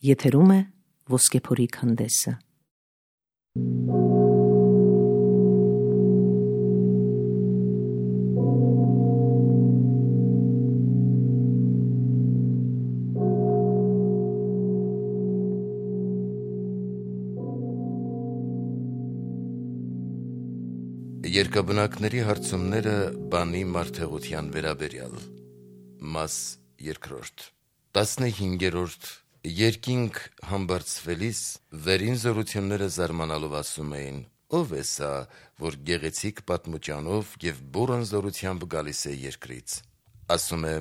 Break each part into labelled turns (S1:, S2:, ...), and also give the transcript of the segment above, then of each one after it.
S1: Եթերում է Ոսկեփորի քանդեսը։
S2: Երկաբնակների հարցումները բանի մարդեղության վերաբերյալ Մաս 2 15-րդ Երկինք համբարձվելիս վերին զորությունները զարմանալով ասում էին. «Ո՞վ է սա, որ գեղեցիկ պատմուճանով և բուռն զորությամբ գալիս է երկրից»։ Ասում է.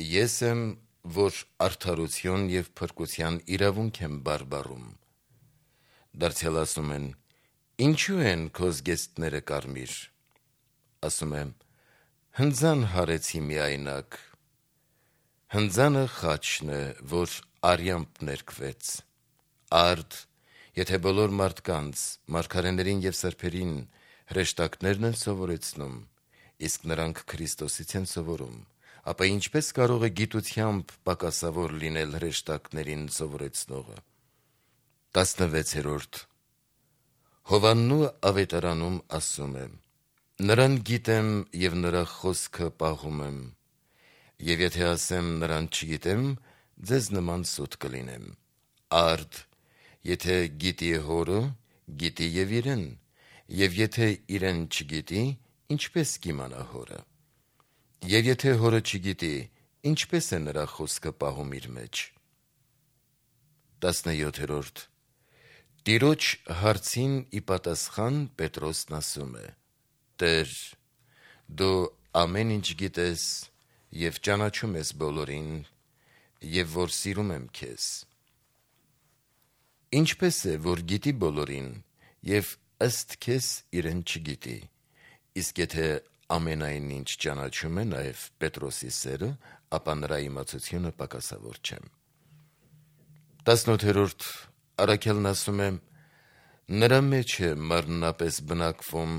S2: «Ես եմ, որ արդարություն և փրկության իրավունք եմ բարբառում»։ Դարձյալ ասում են. «Ինչու են քո զգեստները կարմիր»։ Ասում է. «Հնձան հարեցի միայնակ»։ Հնձանը խաչն է, որ արյամբ ներկվեց։ Արդ, եթե բոլոր մարդկանց, մարգարեներին և սրբերին հրեշտակներն են սովորեցնում, իսկ նրանք Քրիստոսից են սովորում, ապա ինչպե՞ս կարող է գիտությամբ պակասավոր լինել հրեշտակներին սովորեցնողը։ 16 Հովհաննու ավետարանում ասում է. «Նրան գիտեմ և նրա խոսքը պահում եմ, և եթե ասեմ նրան չգիտեմ, ձեզ նման սուտ կլինեմ»։ Արդ, եթե գիտի հորը, գիտի և իրեն, և եթե իրեն չգիտի, ինչպե՞ս կիմանա հորը։ Եվ եթե հորը չգիտի, ինչպե՞ս է նրա խոսքը պահում իր մեջ։ 17 Տիրոջ հարցին ի պատասխան Պետրոսն ասում է. «Տեր, դու ամեն ինչ գիտես և ճանաչում ես բոլորին, և որ սիրում եմ քեզ»։ Ինչպե՞ս է, որ գիտի բոլորին և ըստ քեզ իրեն չգիտի, իսկ եթե ամենայն ինչ ճանաչում է նաև Պետրոսի սերը, ապա նրա իմացությունը պակասավոր չէ։ 18 Առաքյալն ասում է. «Նրա մեջ է մարմնապես բնակվում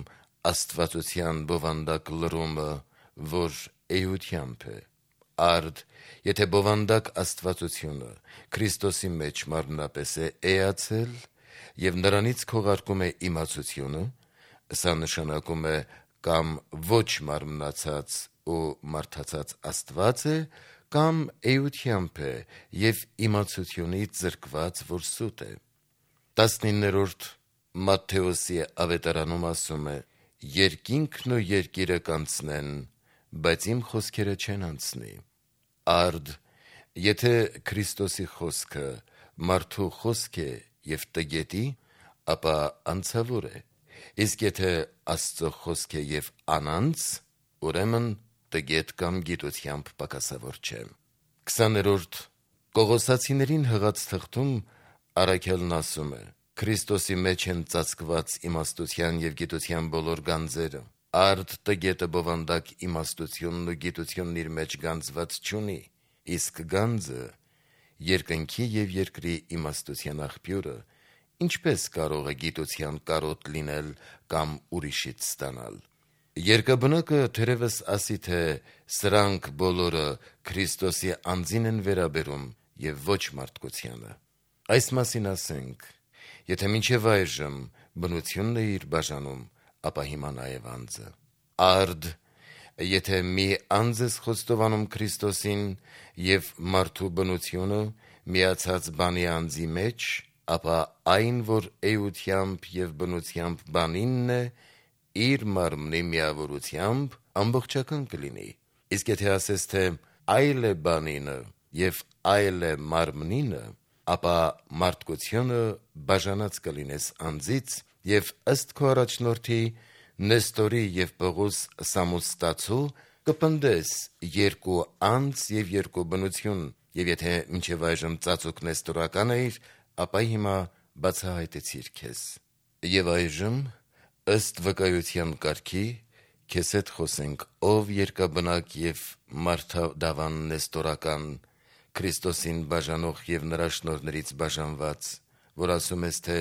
S2: աստվածության բովանդակ լռումը, որ էությամբ է»։ Արդ, եթե բովանդակ աստվածությունը Քրիստոսի մեջ մարմնապես է էացել և նրանից քողարկում է իմացությունը, սա նշանակում է կամ ոչ մարմնացած ու մարդացած Աստված է, կամ էությամբ է և իմացությունից զրկված, որ սուտ է։ 19 Մատթեոսի ավետարանում ասում է. «Երկինքն ու երկիրը կանցնեն, բայց իմ խոսքերը չեն անցնի»։ Արդ, եթե Քրիստոսի խոսքը մարդու խոսք է և տգետի, ապա անցավոր է, իսկ եթե Աստծո խոսք է և անանց, ուրեմն տգետ կամ գիտությամբ պակասավոր չէ։ 20 Կողոսացիներին հղած թղթում առաքյալն ասում է. «Քրիստոսի մեջ են ծածկված իմաստության և գիտության բոլոր գանձերը։ Արդ տգետը բովանդակ իմաստությունն ու գիտությունն իր մեջ գանձված չունի, իսկ գանձը, երկնքի և երկրի իմաստության աղբյուրը, ինչպե՞ս կարող է գիտության կարոտ լինել կամ ուրիշից ստանալ»։ Երկաբնակը թերևս ասի, թե սրանք բոլորը Քրիստոսի անձին են վերաբերում և ոչ մարդկությանը։ Այս մասին ասենք. եթե մինչև այժմ բնությունն է իր բաժանում, ապա հիմա նաև անձը։ Արդ, եթե մի անձ ես խոստովանում Քրիստոսին և մարդու բնությունը միացած բանի անձի մեջ, ապա այն, որ էությամբ և բնությամբ բանինն է, իր մարմնի միավորությամբ ամբողջական կլինի։ Իսկ եթե ասես, թե այլ է բանինը և այլ է մարմնինը, ապա մարդկությունը բաժանած կլինես անձից և ըստ քո առաջնորդի Նեստորի և Պողոս Սամոստացու կպնդես երկու անձ և երկու բնություն, և եթե մինչև այժմ ծածուկ նեստորական էիր, ապա հիմա բացահայտեցիր քեզ։ Եվ այժմ, ըստ վկայության կարգի, քեզ հետ խոսենք, ով երկաբնակ և մարդադավան նեստորական, Քրիստոսին բաժանող և նրա շնորհներից բաժանված, որ ասում ես, թե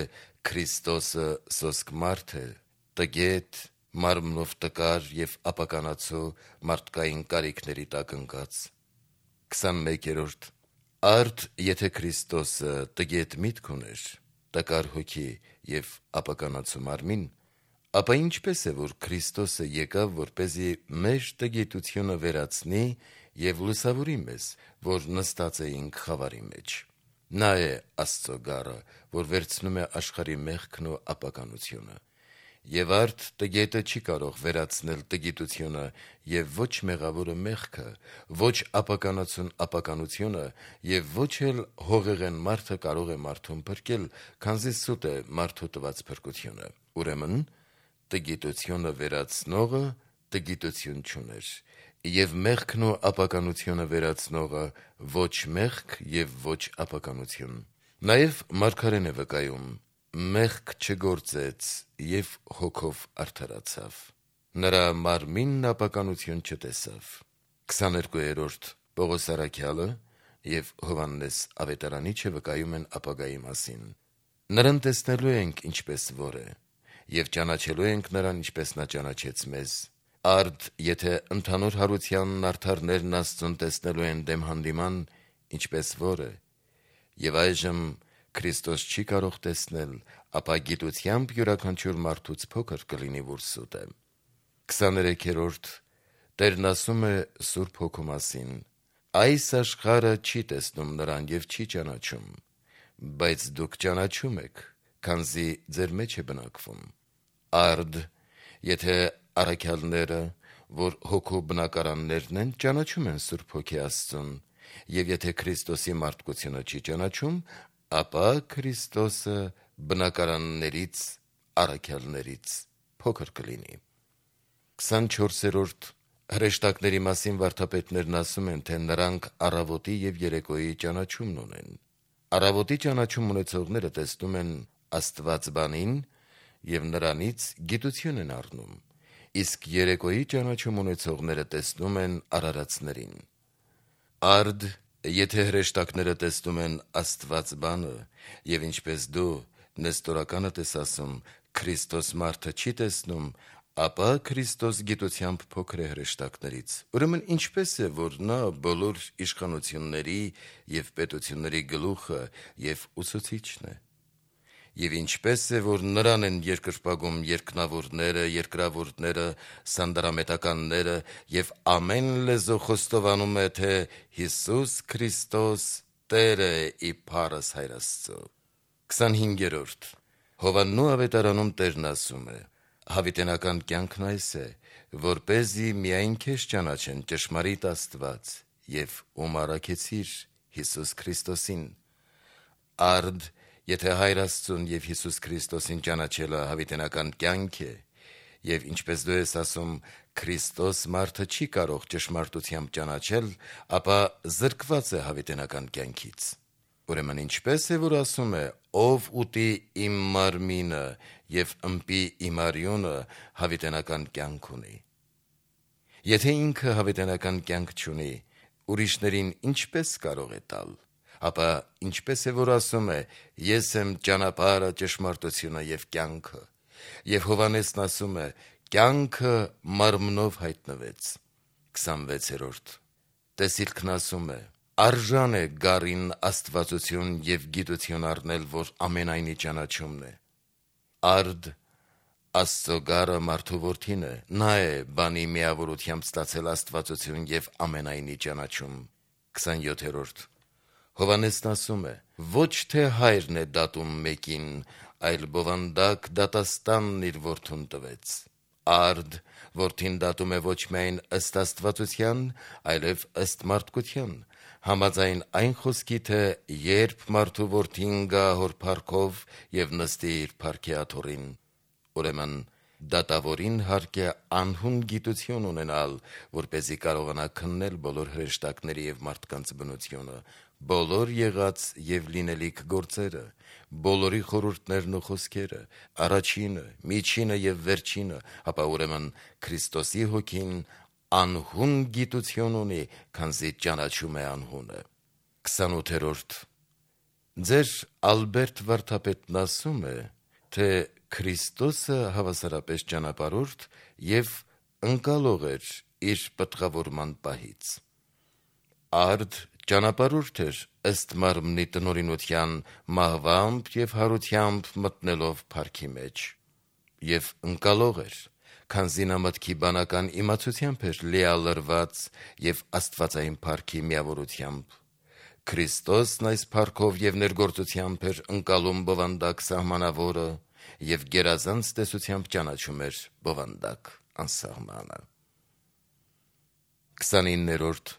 S2: Քրիստոսը սոսկ մարդ է, տգետ, մարմնով տկար և ապականացու մարդկային կարիքների տակ ընկած։ 21 Արդ եթե Քրիստոսը տգետ միտք ուներ, տկար հոգի և ապականացում արմին, ապա ինչպես է, որ Քրիստոսը եկավ, որպեսզի մեր տգետությունը վերացնի և լուսավորի մեզ, որ նստած էինք խավարի մեջ։ Նա է Աստծո գառը, որ վերցնում է աշխարհի մեղքն ու ապականությունը։ Եվ արդ տգետը չի կարող վերացնել տգիտությունը, և ոչ մեղավորը մեղքը, ոչ ապականացուն ապականությունը, և ոչ էլ հողեղեն մարդը կարող է մարդուն փրկել, քանզի սուտ է մարդու տված փրկությունը։ Ուրեմն տգիտությունը վերացնողը տգիտություն չուներ, և մեղքն ու ապականությունը վերացնողը ոչ մեղք և ոչ ապականություն։ Նաև մարգարեն է վկայում. «Մեղք չգործեց և հոգով արդարացավ, նրա մարմինն ապականություն չտեսավ»։ 22-րդ Պողոս առաքյալը և Հովհաննես ավետարանիչը վկայում են ապագայի մասին. «Նրան տեսնելու ենք ինչպես որ է, և ճանաչելու ենք նրան ինչպես նա ճանաչեց մեզ։ Արդ եթե ընդհանուր հարությանն արդարներն Աստծուն տեսնելու են դեմ հանդիման, ինչպես որ է, և այժմ Քրիստոս չի կարող տեսնել, ապա գիտությամբ յուրաքանչյուր մարդուց փոքր կլինի, որ սուտ է»։ 23-րդ Տերն ասում է Սուրբ Հոգու մասին. «Այս աշխարհը չի տեսնում նրան և չի ճանաչում, բայց դուք ճանաչում եք, քանզի ձեր մեջ է բնակվում»։ Արդ եթե առաքյալները, որ հոգու բնակարաններն են, ճանաչում են Սուրբ Հոգի Աստծուն, և եթե Քրիստոսի մարդկությունը չի ճանաչում, ապա Քրիստոսը բնակարաններից, առաքյալներից փոքր կլինի։ 24-րդ Հրեշտակների մասին վարդապետներն ասում են, թե նրանք առավոտի և երեկոյի ճանաչումն ունեն։ Առավոտի ճանաչում ունեցողները տեսնում են Աստվածբանին և նրանից գիտություն են առնում, իսկ երեկոյի ճանաչում ունեցողները տեսնում են արարածներին։ Արդ եթե հրեշտակները տեսնում են Աստվածբանը, և ինչպես դու նեստորականդ ես ասում, Քրիստոս մարդը չի տեսնում, ապա Քրիստոս գիտությամբ փոքր է հրեշտակներից։ Ուրեմն ինչպես է, որ նա բոլոր իշխանությունների և պետությունների գլուխը և ուսուցիչն է։ Եվ ինչպես է, որ նրան են երկրպագում երկնավորները, երկրավորները, սանդարամետականները, և ամեն լեզու խոստովանում է, թե Հիսուս Քրիստոս Տեր է իբարս Հայր Աստծո։ 25-րդ Հովհաննու ավետարանում Տերն ասում է. «Հավիտենական կյանքն այս է, որպեսզի միայն քեզ ճանաչեն ճշմարիտ Աստված և ում առաքեցիր Հիսուս Քրիստոսին»։ Արդ եթե Հայր Աստծուն և Հիսուս Քրիստոսին ճանաչելը հավիտենական կյանք է, և ինչպես դու ես ասում, Քրիստոս մարդը չի կարող ճշմարտությամբ ճանաչել, ապա զրկված է հավիտենական կյանքից։ Ուրեմն ինչպես է, որ ասում է. «Ով ուտի իմ մարմինը և ըմպի իմ արյունը, հավիտենական կյանք ունի»։ Եթե ինքը հավիտենական կյանք չունի, ուրիշներին ինչպես կարող է տալ։ Ապա ինչպես է, որ ասում է. «Ես եմ ճանապարհը, ճշմարտությունը և կյանքը»։ Եվ Հովհաննեսն ասում է. «Կյանքը մարմնով հայտնվեց»։ 26-րդ Տեսիլքն ասում է. «Արժան է գառին աստվածություն և գիտություն առնել, որ ամենայնի ճանաչումն է»։ Արդ Աստծո գառը մարդու որդին է, նա է բանի միավորությամբ ստացել աստվածություն և ամենայնի ճանաչում։ 27-րդ Հովհաննեսն ասում է. «Ոչ թե հայրն է դատում մեկին, այլ բովանդակ դատաստանն իր որդուն տվեց»։ Արդ որդին դատում է ոչ միայն ըստ աստվածության, այլև ըստ մարդկության, համաձայն այն խոսքի, թե երբ մարդու որդին գա հոր փառքով և նստի իր փառքի աթոռին։ Ուրեմն դատավորին հարկ է անհուն գիտություն ունենալ, որպեսզի կարողանա քննել բոլոր հրեշտակների և մարդկանց բնությունը, բոլոր եղած և լինելիք գործերը, բոլորի խորհուրդներն ու խոսքերը, առաջինը, միջինը և վերջինը, ապա ուրեմն Քրիստոսի Հոգին անհուն գիտություն ունի, քանզի ճանաչում է անհունը։ 28-րդ Ձեր Ալբերտ վարդապետն ասում է, թե Քրիստոսը հավասարապես ճանապարհորդ և ընկալող էր իր պտղավորման պահից։ Արդ ճանապարհորդ էր ըստ մարմնի տնօրինության մահվամբ եւ հարությամբ մտնելով փառքի մեջ, եւ ընկալող էր, քանզի նա մտքի բանական իմացությամբ էր լիալրված եւ աստվածային փառքի միավորությամբ։ Քրիստոսն այս փառքով եւ ներգործությամբ էր ընկալում բովանդակ սահմանավորը եւ գերազանց տեսությամբ ճանաչում էր բովանդակ անսահմանը։ 29-րդ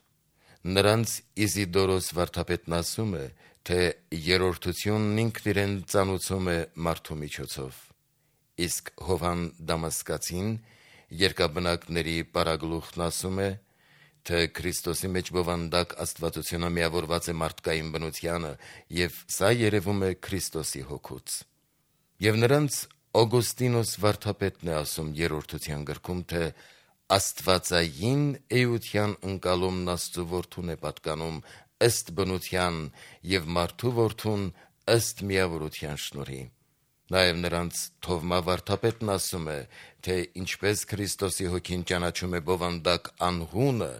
S2: Նրանց Իզիդորոս վարդապետն ասում է, թե երրորդությունն ինքն իրեն ծանուցում է մարդու միջոցով, իսկ Հովհան Դամասկացին երկաբնակների պարագլուխն ասում է, թե Քրիստոսի մեջ բովանդակ աստվածությունը միավորված է մարդկային բնությանը, եւ սա երևում է Քրիստոսի հոգուց։ Եվ նրանց Օգոստինոս վարդապետն է ասում երրորդության գրքում, թե աստվածային էության ընկալումն Աստծու որդուն է պատկանում ըստ բնության եւ մարդու որդուն ըստ միավորության շնորհի։ Նաեւ նրանց Թովմա վարդապետն ասում է, թե ինչպես Քրիստոսի հոգին ճանաչում է բովանդակ անհունը,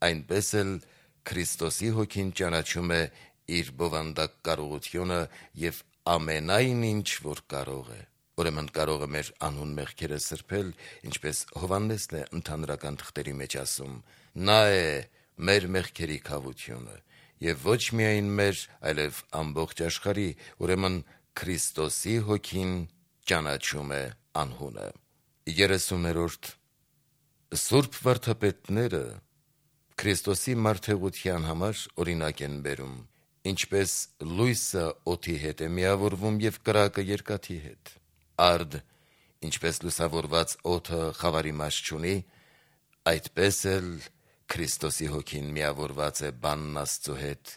S2: այնպես էլ Քրիստոսի հոգին ճանաչում է իր բովանդակ կարողությունը եւ ամենայն ինչ որ կարող է։ Ուրեմն կարող է մեր անհուն մեղքերը սրբել, ինչպես Հովհաննեսն է ընդհանրական թղթերի մեջ ասում. նա է մեր մեղքերի քավությունը, եւ ոչ միայն մեր, այլև ամբողջ աշխարհի, ուրեմն Քրիստոսի հոգին ճանաչում է անհունը։ 30-րդ Սուրբ վարդապետները Քրիստոսի մարդեղության համար օրինակ են բերում, ինչպես լույսը օդի հետ է միավորվում եւ կրակը երկաթի հետ։ Արդ, ինչպես լուսավորված օդը խավարի մաս չունի, այդպես էլ Քրիստոսի հոգին միավորված է բանն Աստծո հետ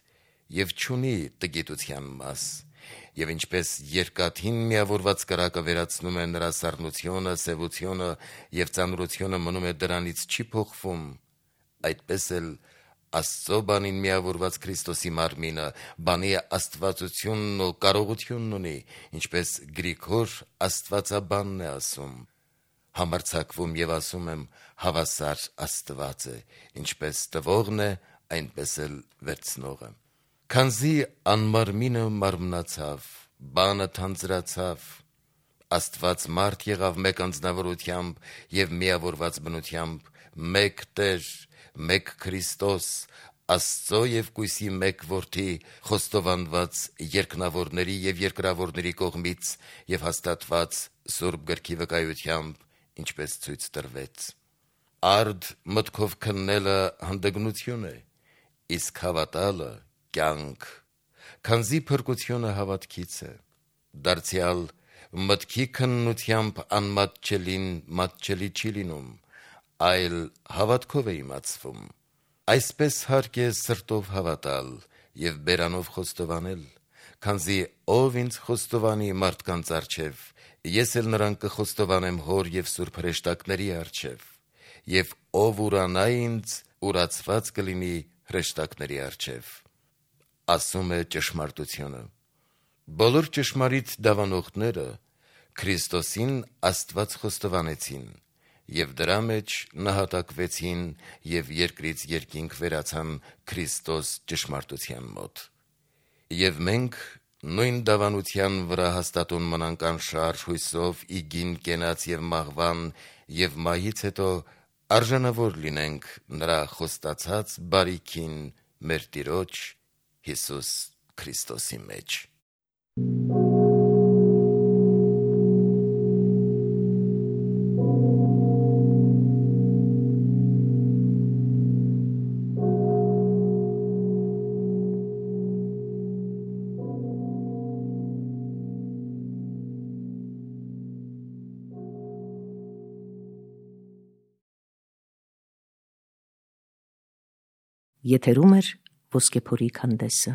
S2: եւ չունի տգիտության մաս, եւ ինչպես երկաթին միավորված կրակը վերացնում է նրա սառնությունը, սևությունը եւ ծանրությունը մնում է դրանից չի փոխվում, այդպես էլ Աստծո բանին միավորված Քրիստոսի մարմինը բանի աստվածությունն ու կարողությունն ունի, ինչպես Գրիգոր Աստվածաբանն է ասում. համարձակվում եւ ասում եմ, հավասար Աստված է, ինչպես տվողն է, այնպես էլ վերցնողը։ Քանզի անմարմինը մարմնացավ, բանը թանձրացավ, Աստված մարդ եղավ մեկ անձնավորությամբ եւ միավորված բնությամբ, մեկ Տեր, մեկ Քրիստոս, Աստծո եւ կույսի մեկ որդի, խոստովանված երկնավորների եւ երկրավորների կողմից եւ հաստատված Սուրբ գրքի վկայությամբ, ինչպես ցույց տրվեց։ Արդ մտքով քննելը հանդգնություն է, իսկ հավատալը կյանք, քանզի փրկությունը հավատքից է։ Դարձյալ մտքի քննությամբ անմատչելին մատչելի չի լինում, այլ հավատքով է իմացվում։ Այսպես հարկ է սրտով հավատալ եւ բերանով խոստովանել, քանզի ով ինձ խոստովանի մարդկանց առջև, ես էլ նրան կխոստովանեմ հոր եւ սուրբ հրեշտակների առջև, եւ ով ուրանա ինձ, ուրացված կլինի հրեշտակների առջև։ Ասում է ճշմարտությունը։ Բոլոր ճշմարիտ դավանողները Քրիստոսին Աստված խոստովանեցին եւ դրա մեջ նահատակվեցին եւ երկրից երկինք վերացան Քրիստոս ճշմարտության մոտ։ Եվ մենք նույն դավանության վրա հաստատուն մնանք անշարժ հույսով իգին կենաց եւ մահվան եւ մահից հետո արժանավոր լինենք նրա խոստացած բարիքին մեր Տիրոջ Հիսուս Քրիստոսի մեջ։
S1: Եթերում է Ոսկեփորի քանդեսը։